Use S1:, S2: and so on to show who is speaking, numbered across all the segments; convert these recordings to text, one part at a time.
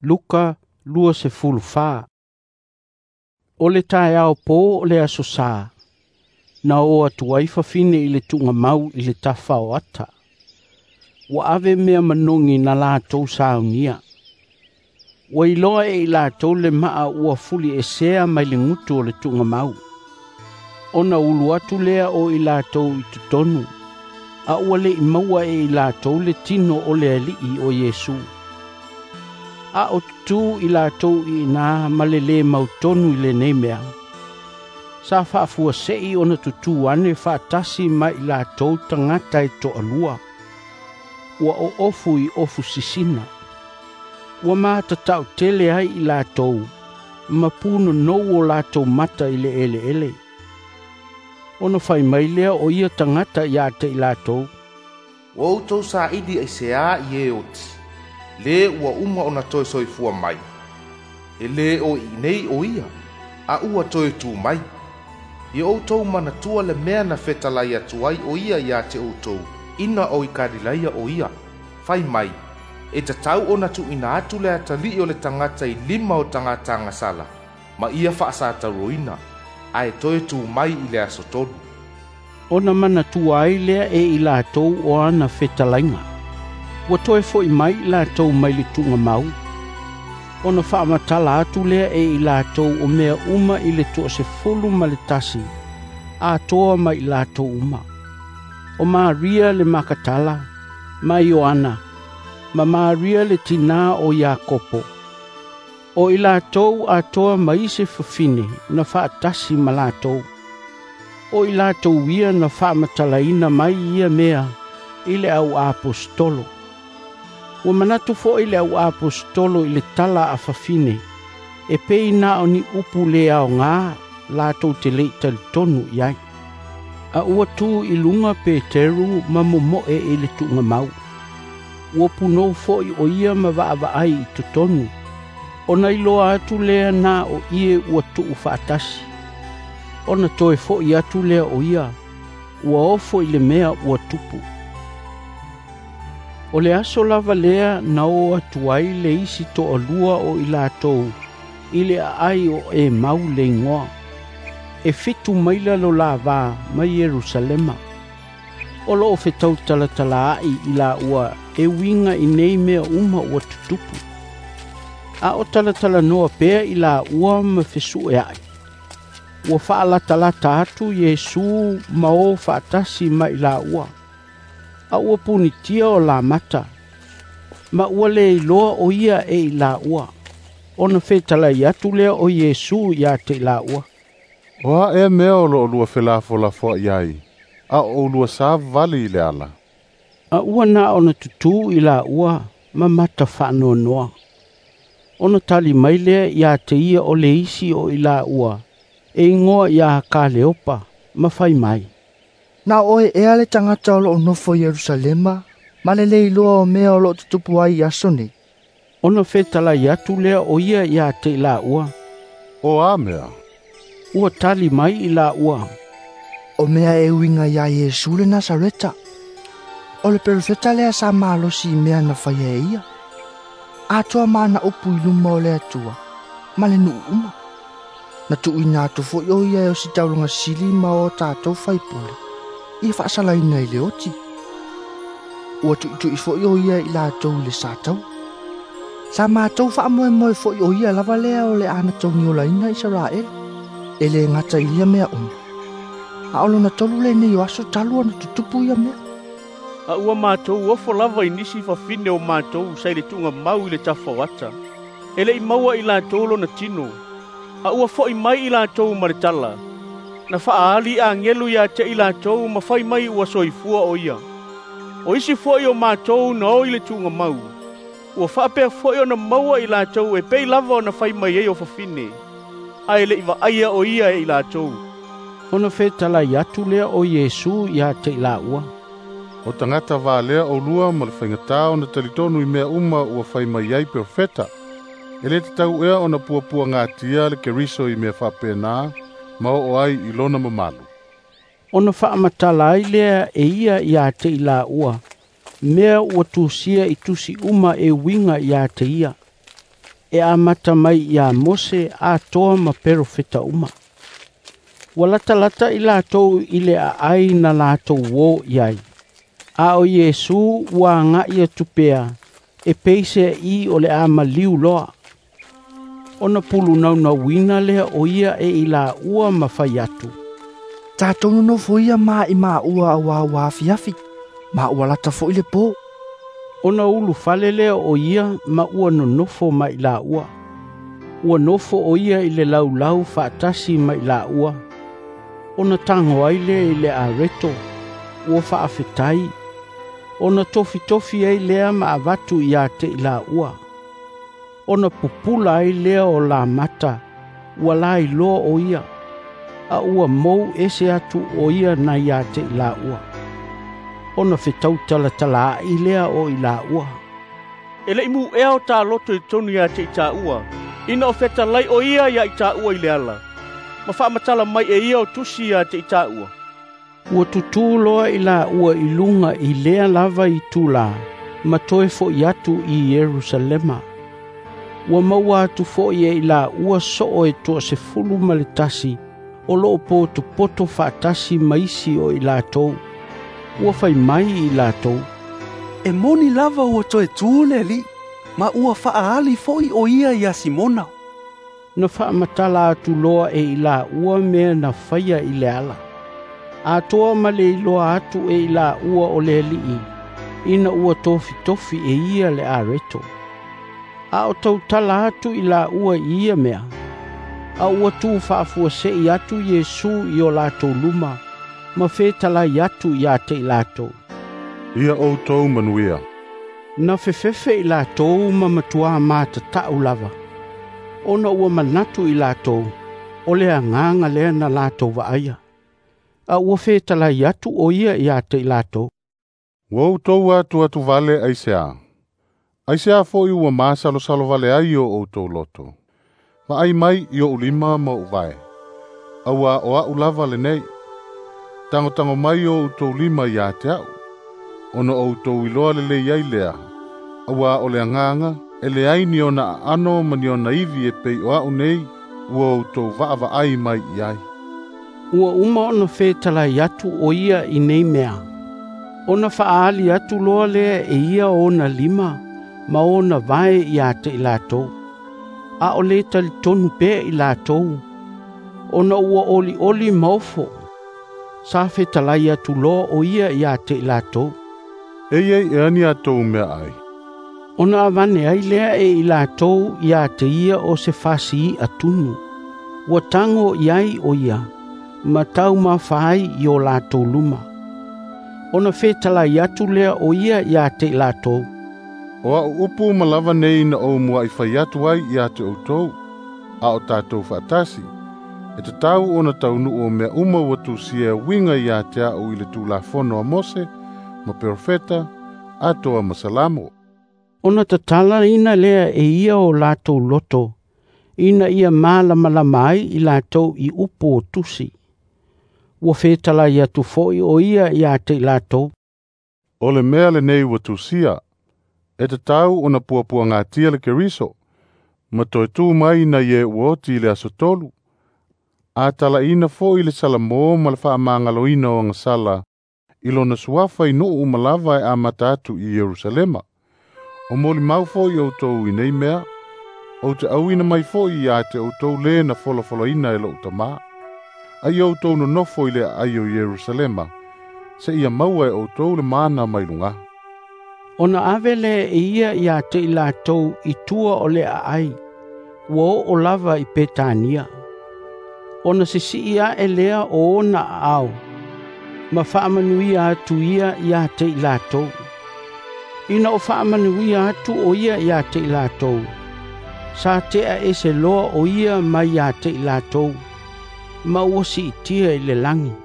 S1: Luka 24. O le taeao pō o le aso sa, na o atu ai fafine i le tuugamau i le tafa o ata. Ua ave mea manogi na latou saunia. Ua iloa e i latou le maa ua fuliesea mai le gutu o le tuugamau. Ona ulu atu lea o i latou i totonu, a ua le'i maua e i latou le tino o le Alii o Iesu. A o tutū i latou i ina ma le lē mautonu i lenei mea. Sa faafuase'i ona tutū ane faatasi ma i latou tagata e toalua. Ua oofu i ofu sisina. Ua matatau tele ai i latou, ma punonou o latou mata i le eleele. Ona fai mai lea o ia tagata ia te i latou,
S2: "Ua outou saili aiseā i e oti, lē ua uma ona toe soifua mai? E lē o i inei o ia, a ua toe tū mai. Ia outou manatua le mea na fetalai atu ai o ia iā te outou ina o i Kalilaia o ia. Fai mai, e tatau ona tuuina atu le Atalii o le Tagata i lima o tagata agasala, ma ia faasatauroina, ae toe tū mai i le aso tolu."
S1: Ona manatua ai lea e i latou o ana fetalaiga. Ua toe fo'i mai i latou mai le tuugamau. Ona faamatala atu lea e i latou o mea uma i le 11, atoa ma i latou uma. O Maria le Makatala, ma Ioana, ma Maria le tinā o Iakopo. O i latou atoa ma isi fafine na faatasi ma latou. O i latou ia na faamatalaina mai ia mea i le au aposetolo. Ua manatu fo'i le au aposetolo i le tala a fafine, e pei na o ni upu le aogā latou te le'i talitonu i ai. A ua tu i luga Peteru ma momo'e i le tuugamau. Ua punou fo'i o ia ma vaavaai i totonu. Ona iloa atu lea na o ie ua tuu faatasi. Ona toe fo'i atu lea o ia, ua ofo i le mea ua tupu. O le aso lava lea na o atu ai le isi toalua o i latou i le aai o Emau le igoa. E 7 maila lo la vā mai Ierusalema. O loo fetautalatalaa'i i laua e uiga i nei mea uma ua tutupu. A o talatalanoa pea i laua ma fesu'ea'i. Ua faalatalata atu Iesu ma o faatasi ma i laua. A ua punitia o lamata, ma ua le iloa o ia e i laua. Ona fetalai atu lea o Iesu ia te i laua,
S3: "O a ea mea o loo lua felafolafoa'i ai, a o oulua savavali i le ala?"
S1: A ua na ona tutū i laua ma mata faanoanoa. Ona tali mai lea ia te ia o le isi o i laua, e igoa ia Kaleopa, ma fai mai,
S4: "Na o oe ea le tagata o loo nofo i Ierusalema, ma le lē iloa o mea o loo tutupu ai i aso nei?"
S1: Ona fetalai atu lea o ia ia te i laua,
S3: "O a mea?"
S1: Ua tali mai i laua,
S4: "O mea e uiga iā Iesu le Nasareta. O le perofeta lea sa malosi i mea na faia e ia, atoa ma ana upu i luma o le Atua, ma le nuu uma. Na tuuina atu fo'i o ia e ositaulaga sili ma o tatou faipule, ia faasalaina i le oti. Ua tu'itu'i fo'i o ia i latou i le satau. Sa matou faamoemoe fo'i o ia lava lea o le ana togiolaina Isaraele. E lē gata i ia mea uma, a o lona tolu lenei o aso talu ona tutupu ia mea."
S5: A ua matou ofo lava i nisi fafine o matou sa i le tuugamau i le tafa o ata. E le'i maua i latou lona tino, a ua fo'i mai i latou ma le tala, na faaali agelu ia te i latou ma fai mai ua soifua o ia. O isi fo'i o matou na o i le tuugamau, ua faapea fo'i ona maua i latou e pei lava ona fai mai ai o fafine, ae le'i vaaia o ia e i latou."
S1: Ona fetalai atu lea o Iesu ia te i laua,
S3: "O tagata valea oulua ma le faigatā ona talitonu i mea uma ua fai mai ai perofeta. E lē tatau ea ona puapuagatia le Keriso i mea faapena ma oo ai i lona mamalu?"
S1: Ona faamatala ai lea e ia ia te i laua, mea ua tusia i tusi uma e uiga ia te ia. e amata mai iā Mose atoa ma perofeta uma. Ua latalata i latou i le aai na latou uō i ai. A o Iesu ua aga'i atu pea e peisea'i o le a maliu loa. Ona pulunaunauina lea o ia e i laua ma fai atu,
S4: Tatou nonofo ia ma i maua auā ua afiafi, ma ua lata fo'i le pō.
S1: Ona ulufale lea o ia ma ua nonofo ma i laua. Ua nofo o ia i le laulau faatasi ma i laua. Ona tago ai lea i le areto, ua faafetai, ona tofitofi ai lea ma avatu ia te i laua. Ona pupula ai lea o lamata, ua lailoa o ia, a ua mou ese atu o ia nai ia te i laua. Ona fetautalatalaai lea o i laua.
S5: E le'i mu'ea o taloto i totonu ia te i tāua, ina o fetalai o ia ia i tāua i le ala, ma faamatala mai e ia o tusi ia te i tāua.
S1: Ua tutū loa i laua i luga i lea lava itulā, ma toe fo'i atu i Ierusalema. Ua maua atu fo'i e i laua soo e 11 o loo potopoto faatasi ma isi o i latou. Ua fai mai i latou,
S6: E moni lava ua toe tū le Alii, ma ua faaali fo'i o ia iā Simona.
S1: Na faamatala atu loa e i laua mea na faia i le ala. Atoa ma le iloa atu e i laua o le Alii, ina ua tofitofi e ia le areto. A o tautala atu i laua i ia mea, a ua tu faafuase'i atu Iesu i o latou luma, ma fetalai atu ia te i latou.
S3: Ia outou manuia.
S1: Na fefefe i latou ma matuā matata'u lava, ona ua manatu i latou, o le agaga lea na latou vaaia. A ua fetalai atu o ia ia te i latou.
S3: Ua outou atu vale aisea. Aisea fo'i ua masalosalo vale ai o outou loto. Vaai mai i o'u lima ma o'u vae. Auā o a'u lava lenei. Tagotago mai o outou lima ia te a'u. Ona outou iloa lelei ai lea. Auā o le agaga e leai ni ona aano ma ni ona ivi e pei o a'u nei ua outou vaavaai mai i ai.
S1: Ua uma ona fetalai atu o ia i nei mea. Ona faaali atu loa lea e ia ona lima ma ona vae ia te i latou. A o le talitonu pea i latou, ona ua olioli maofo. Sa fetalai atu loa o ia ia te i latou.
S3: Eia i ea ni atou mea ai.
S1: Ona avane ai lea e i latou ia te ia o se fasii'a tunu. Ua tago i ai o ia, ma taumafa ai i o latou luma. Ona fetalai atu lea o ia ia te i latou.
S3: O a'u upu ma lava nei na ou mua'i fai atu ai ia te outou, a o tatou faatasi, e tatau ona taunu'u o mea uma ua tusia e uiga ia te a'u i le Tulafono a Mose, ma Perofeta, atoa ma Salamo.
S1: Ona tatalaina lea e ia o latou loto, ina ia malamalama ai i latou i upu o tusi. Ua fetalai atu fo'i o ia ia te i latou.
S3: O le mea lenei ua tusia, e tatau ona puapuagatia le Keriso, ma toe tū mai nai e ua oti i le aso tolu. A talaina fo'i le Salamo ma le faamagaloina o agasala i lona suafa i nu'u uma lava e amata atu i Ierusalema. O molimau fo'i outou i nei mea, ou te auina mai fo'i ia te outou lē na folafolaina e lo'u tamā. Ai outou nonofo i le aai o Ierusalema, seia maua e outou le mana mai lugā.
S1: Ona ave lea e ia ia te i latou i tua o le aai, ua oo lava i Petania. Ona sisi'i a'e lea o ona aao, ma faamanuia atu ia ia te i latou. Ina o faamanuia atu o ia ia te i latou, sa tea ese loa o ia mai ia te i latou, ma ua siitia i le lagi.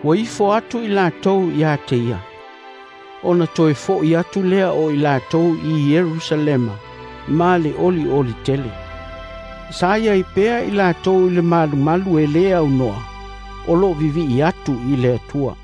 S1: Ua ifo atu i latou ia te ia. Ona toe fo'i atu lea o i latou i Ierusalema, ma le olioli tele. Sa iai pea i latou i le malumalu e lē aunoa, o loo vivi'i atu i le Atua.